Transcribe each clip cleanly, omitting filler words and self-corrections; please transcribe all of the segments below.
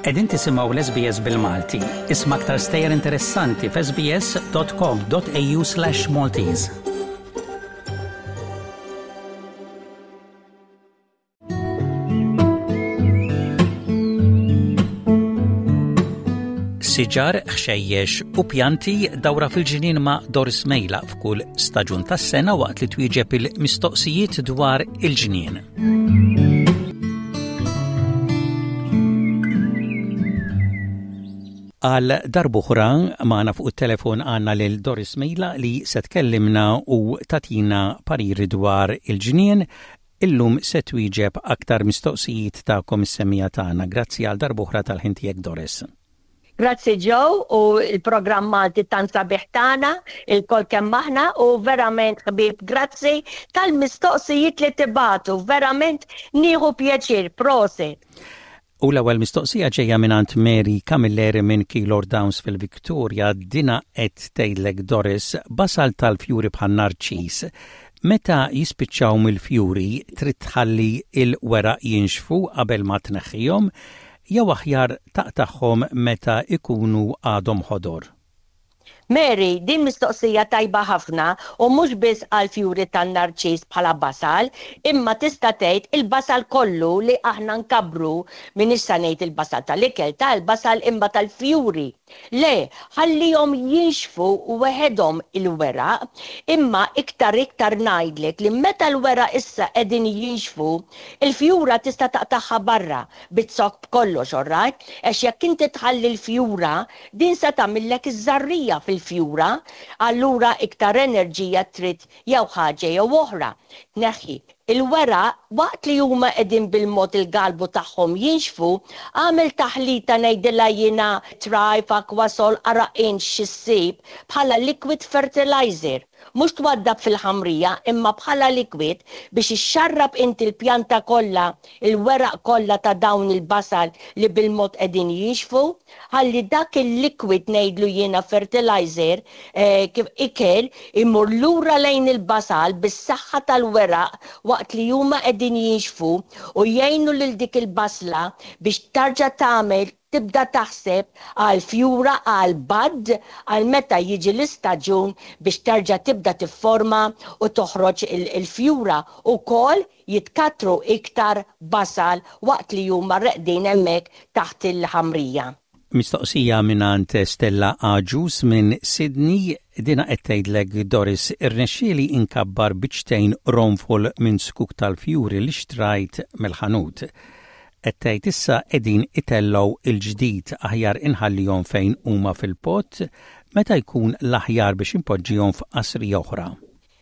Qegħdin tisimgħu l-SBS bil-Malti. Isma' aktar stejjer interessanti f'sbs.com.au/Maltese. Siġar, ħxejjex u pjanti dawra fil-ġnien ma' Doris Mejla f'kull staġun tas-sena waqt li twieġeb il-mistoqsijiet dwar il-ġnien. Għal darb'oħra magħna fuq it-telefon għandna lil Doris Mejla li se tkellimna u tatina pariri dwar il-ġnien. Illum se twieġeb aktar mistoqsijiet tagħkom is-semmiegħa tagħna. Grazzi għal darb'oħra tal-ħin tiegħek Doris. Grazzi Joe u l-programm Malti tant sabiħ tagħna, ilkoll kemm aħna u verament ħbieb grazzi tal-mistoqsijiet li tibagħtu, verament nieħu pjaċir, prosit. U l-ewwel mistoqsija ġejja mingħand Mary Camilleri minn Keilor Downs fil-Victoria, dina qed tgħidlek Doris, basal tal-fjuri bħan-narċis, meta jispiċċaw mill-fjuri trid tħalli l-weraq jinxfu qabel ma tneħħihom jew aħjar taqtagħhom meta jkunu għadhom ħodor? Mary, din mistoqsija tajba ħafna u mhux biss għall-fjuri tan-narċis bħala basal, imma tista' tgħid il-basal kollu li aħna nkabbru, m'iniex sa ngħid il-basal tal-ikel, ta' il-basal imma tal-fjuri. Le, ħallihom jinxfu weħedhom il-weraq, imma iktar iktar ngħidlek li meta l-weraq issa qegħdin jinxfu, il-fjura tista' taqtagħha barra, biz-zokk b'kollox, all right? Għax jekk inti tħalli l-fjura, Din se tagħmillek iż-żarrija fil-fjura, allura iktar enerġija trid jew ħaġa jew oħra. Tneħħi. Il-weraq, waqt li huma qegħdin bil-mod il-galbu tagħhom jinxfu, agħmel taħlita ngħidilha jiena Thrive, Aquasol, ara int xi ssib bħala liquid fertilizer. Mhux twaddab fil-ħamrija imma bħala liquid biex ixxarrab inti l-pjanta kollha, il-weraq kollha ta' dawn il-basal li bil-mod qegħdin jinxfu. Ħalli dak il-liquid ngħidlu jiena fertilizer, kif ikel, imur lura lejn il-basal bis-saħħa tal-weraq waqt li huma qegħdin jinxfu u jgħinu lil dik il-basla biex tarġa' tagħmel tibda taħseb għal fjura għal bud għal meta jiġi l-istaġun biex terġa' tibda tifforma u toħroġ il-fjura ukoll jitkattru iktar basal waqt li huma reqdin hemmhekk taħt il-ħamrija. Mistoqsija mingħand Stella Agius minn Sydney, dinha qed tgħidlek Doris, irnexxieli inkabbar biċċtejn qronfol minn zkuk tal-fjuri li xtrajt mill-ħanut. Qed tgħid issa qegħdin itellgħu il-ġdid aħjar inħallihom fejn huma fil-pot, meta jkun l-aħjar biex inpoġġihom f'qasrija oħra?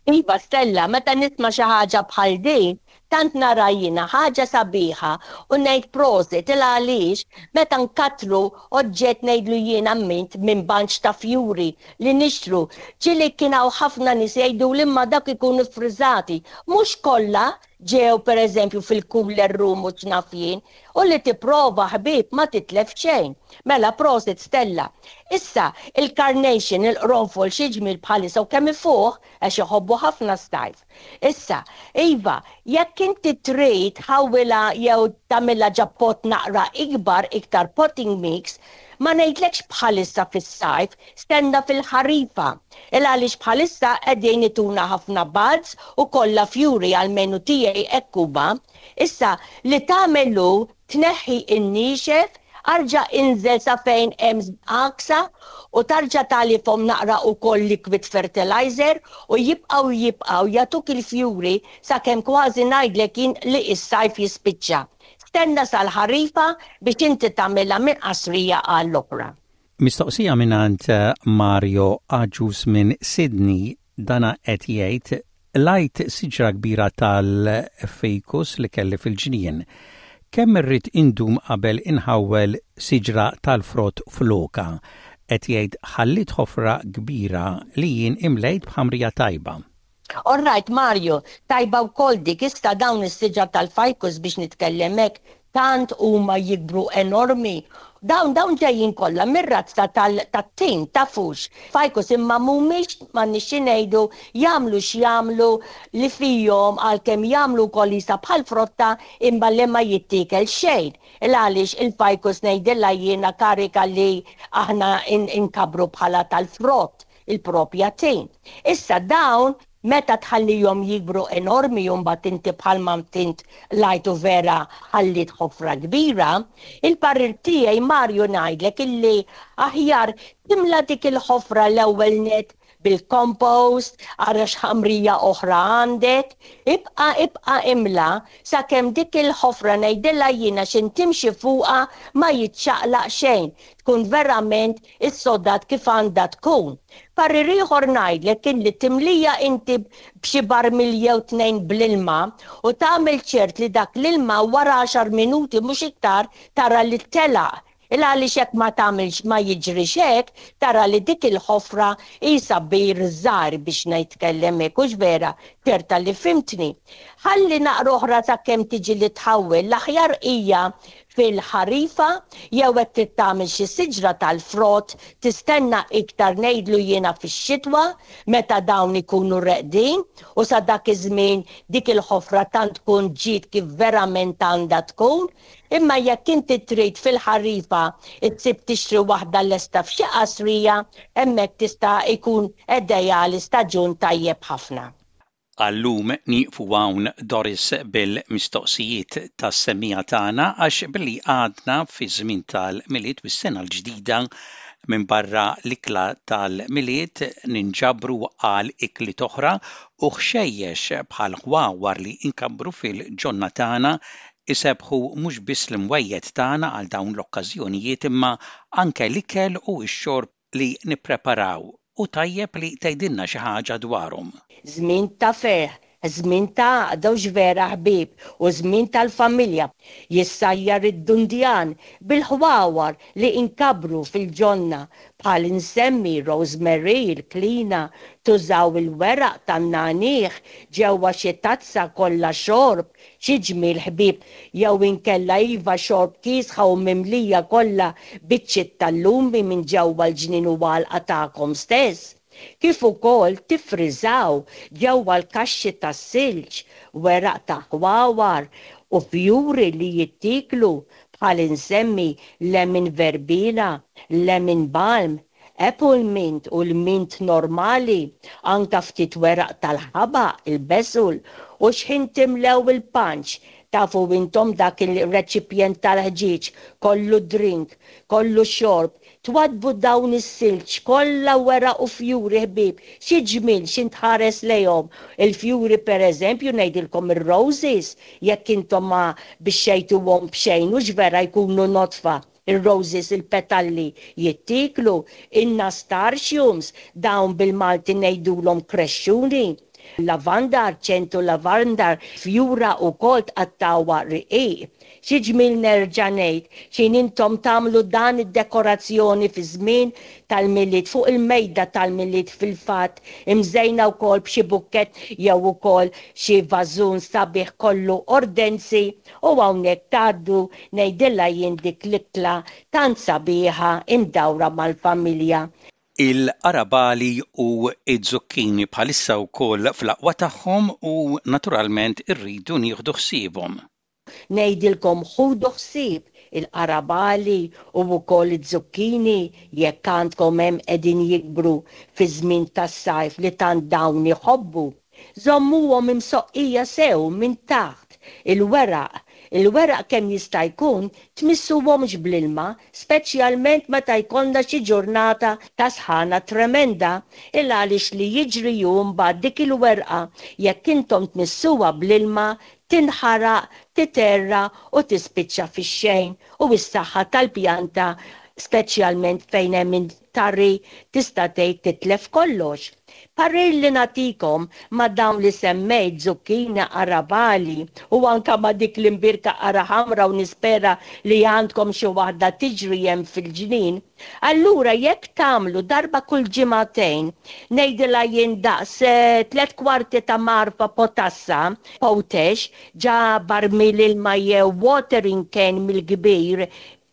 Iva Stella, meta nisma' xi ħaġa bħal din, tant nara jiena ħaġa sabiħa u ngħid prosit il għaliex meta nkattru oġġett ngħidlu jiena mint minn bunch ta' fjuri li nixtru, ġieli kien hawn ħafna nies jgħiduli imma dawk ikunu ffriżati. Mhux kollha ġew pereżempju fil-cooler room u x'naf jien, u li tipprova ħbieb ma titlef xejn. Mela prosit Stella. Issa, il-carnation, il-qronfol xi ġmiel bħalissa u kemm ifuħ għax iħobbu ħafna s-sajf. Issa, iva, jekk inti trid tħawwilha jew tagħmilha ġa pot naqra ikbar, iktar potting mix, ma ngħidlekx bħalissa fis-sajf, stenna fil-ħarifa. Il għaliex bħalissa qegħdin ituna ħafna buds u kollha fjuri almenu tiegħi hekk huma. Issa, li tagħmel hu tneħħi n-niexef, arġa' inżel sa fejn hemm għaksa u tarġa' tagħlifhom naqra ukoll liquid fertilizer u jibqgħu jibqgħu jagħtuk il-fjuri sakemm kważi ngħidlek jien li s-sajf jispiċċa. Stenna sal-ħarifa biex inti tagħmilha minn qasrija għall-oħra. Mistoqsija mingħand Mario Agius minn Sydney, dana qed jgħid, Qlajt siġra kbira tal-ficus li kelli fil-ġnien. Kemm irrid indum qabel inħawwel siġra tal-frott flokha? Qed jgħid ħalliet ħofra kbira li jien imlejt b'ħamrija tajba. All right Mario, tajba wkoll dik, issa dawn is-siġar tal-ficus biex nitkellem hekk tant huma jikbru enormi. Dawn dawn ġejjin kollha mir-razza tat-tin, tafux. Ficus imma mhumiex m'għandniex xi ngħidu, jagħmlu x'jagħmlu li fihom għalkemm jagħmlu wkoll qisha bħal frotta imma li ma jittiekel xejn. Il għaliex il-ficus ngħidilha jiena karika li aħna nkabbru bħala tal-frott, il-propja tin. Issa dawn Meta tħallihom jikbru enormi u mbagħad inti bħalma int qlajt u vera ħalliet ħofra kbira, il-parir tiegħi Mario ngħidlek illi aħjar timla dik il-ħofra l-ewwel nett bil-compost, ara x'ħamrija oħra għandek, ibqa' ibqa' imla sakemm dik il-ħofra ngħidilha jiena x'int timxi fuqha ma jiċċaqlaq xejn, tkun verament issodat kif għandha tkun. Parir ieħor ngħidlek kien li timlija inti b'xi barmil jew tnejn bl-ilma u tagħmel ċert li dak l-ilma wara għaxar minuti mhux iktar tara li telaq. Il għaliex jekk ma tagħmilx ma jiġrix hekk tara li dik il-ħofra qisha bir żgħir biex nitkellem hekk hux vera? Ċerta li fhimtni. Ħalli naqra oħra sakemm tiġi li tħawwel l-aħjar hija fil-ħarifa jew hekk trid tagħmel xi siġra tal-frott tistenna iktar ngħidlu jiena fix-xitwa meta dawn ikunu reqdin u sa dak iż-żmien dik il-ħofra tant tkun ġiet kif verament għandha tkun. Imma jekk inti trid fil-ħarifa ssib tixtri waħda lesta f'xi qasrija hemmhekk tista' jkun ideali staġun tajjeb ħafna. Għal-lum nieqfu hawn Doris bil-mistoqsijiet tas-semmiegħa tagħna għax billi għadna fiż-żmien tal-Milied u s-sena l-ġdida minbarra l-ikla tal-Milied ninġabru għal ikliet oħra u ħxejjex bħal ħwawar li nkabbru fil-ġonna tagħna isebbħu mhux biss l-imwejjed tagħna għal dawn l-okkażjonijiet imma anke l-ikel u x-xorb li nippreparaw u tajjeb li tgħidilna xi ħaġa dwarhom. Żmien ta' ferħ, żmien ta' għaqda u x'vera ħbieb u żmien tal-familja. Jissajjar id-dundjan bil-ħwawar li inkabbru fil-ġonna bħal insemmi rosemary, il-klina, tużaw il-weraq tan-nagħniegħ ġewwa xi tazza kollha xorb Xi ġmiel ħbieb jew inkella iva xorb kiesħa u mimlija kollha biċċiet tal-lumi minn ġewwa l-ġnien u għalqa tagħkom stess. Kif ukoll tiffriżaw ġewwa l-kaxxi tas-silġ weraq ta' ħwawar u fjuri li jittieklu bħal insemmi lemon verbena, lemon balm, Apple mint u l-mint normali, anka ftit weraq tal-ħabaq, il-basil, u x'ħin timlew il-punch, tafu intom dak il-reċipjent tal-ħġieġ kollu drink, kollu xorb, twaddbu dawn is-silġ kollha weraq u fjuri ħbieb, xi ġmiel x'int tħares lejhom, il-fjuri per eżempju ngħidilkom ir-roses, jekk intom ma bixxejtuhom b'xejn hux vera jkunu nodfa, Ir-roses il-petalli jittieklu, in-nastartiums, dawn bil-Malti ngħidulhom krexxuni. Lavandar, ċentu lavandar, fjura wkoll tqattgħuha riqiq. Xi ġmiel nerġa' ngħid, x'ħin intom tagħmlu dan id-dekorazzjoni fiż-żmien tal-Milied fuq il-mejda tal-Milied fil-fatt imżejna wkoll b'xi bukkett jew ukoll xi vażun sabiħ kollu ordenzi u hawnhekk tgħaddu Ngħidilha jien dik l-ikla tant sabiħa imdawra mal-familja. Il-qarabagħli u z-zucchini bħalissa wkoll fl-aqwa tagħhom u naturalment irridu nieħdu ħsiebhom. Ngħidilkom ħudu ħsieb il-qarabagħli u wkoll iz-zucchini jekk għandkom hemm qegħdin jikbru fiż-żmien tas-sajf li tant dawn iħobbu. Żommuhom imsoqqija sew minn taħt, il-weraq. Il-weraq kemm jista' jkun tmissuhomx bl-ilma, speċjalment meta jkollna xi ġurnata ta' sħana tremenda, il-għaliex li jiġri hu mbagħad dik il-werqa jekk intom tmissuha bl-ilma tinħaraq, titgħerra u tispiċċa fix-xejn u s-saħħa tal-pjanta speċjalment fejn hemm tari tista' tgħid titlef kollox. Parir li nagħtikom ma' dawn li semmejt, zucchini, qarabagħli u anke ma' dik l-imbierka qara ħamra u nispera li għandkom xi waħda tiġri hemm fil-ġnien, allura jekk tagħmlu darba kull ġimagħtejn, ngħidilha jien daqs tlett kwarti ta' mgħarfa potassa, potash, ġa barmil ilma jew watering can mill-kbir.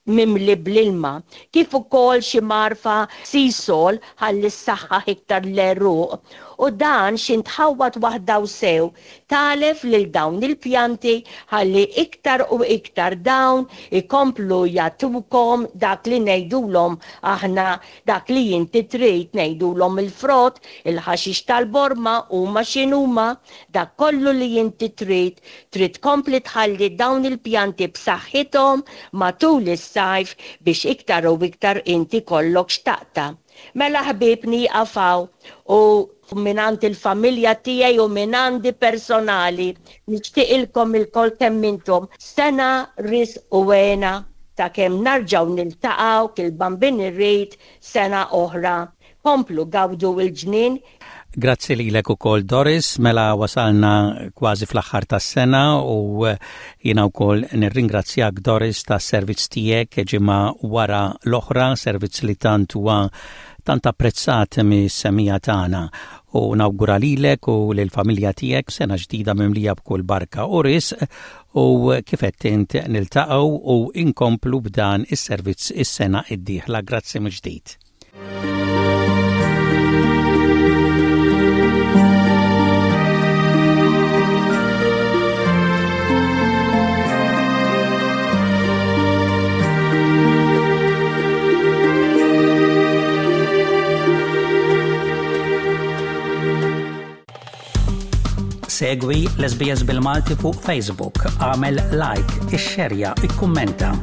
mimli bl-ilma, kif ukoll xi mgħarfa sea salt ħalli ssaħħaħ iktar l-għeruq, u dan xi ntħawwad waħda u sew tagħlef lil dawn il-pjanti ħalli iktar u iktar dawn ikomplu jagħtukom dak li ngħidulhom aħna dak li inti trid ngħidulhom il-frott, il-ħaxix tal-borma huma x'inhuma, dak kollu li inti trid, trid tkompli tħalli dawn il-pjanti b'saħħithom matul is-sajf biex iktar u iktar inti jkollok x'taqta'. Mela ħbieb nieqaf hawn u mingħand il-familja tiegħi u mingħandi personali nixtieqilkom ilkoll kemm intom sena risq u hena sakemm narġgħu niltaqgħu kil-Bambin irid sena oħra. Komplu gawdu l-ġnien. Grazzi lilek ukoll Doris, mela wasalna kważi fl-aħħar tas-sena u jiena wkoll nirringrazzjak Doris tas-servizz tiegħek ġimgħa wara l-oħra, servizz li tant huwa tant apprezzat mis-semija tagħna u nawgura lilek u lill-familja tiegħek sena ġdida mimlija b'kull barka u risq u kif għedt int niltaqgħu u inkomplu b'dan is-servizz is-sena d-dieħla. Grazzi mill-ġdid. Segwi l-SBS bil-Malti fuq Facebook, għamel like, ixxerja, ikkummenta.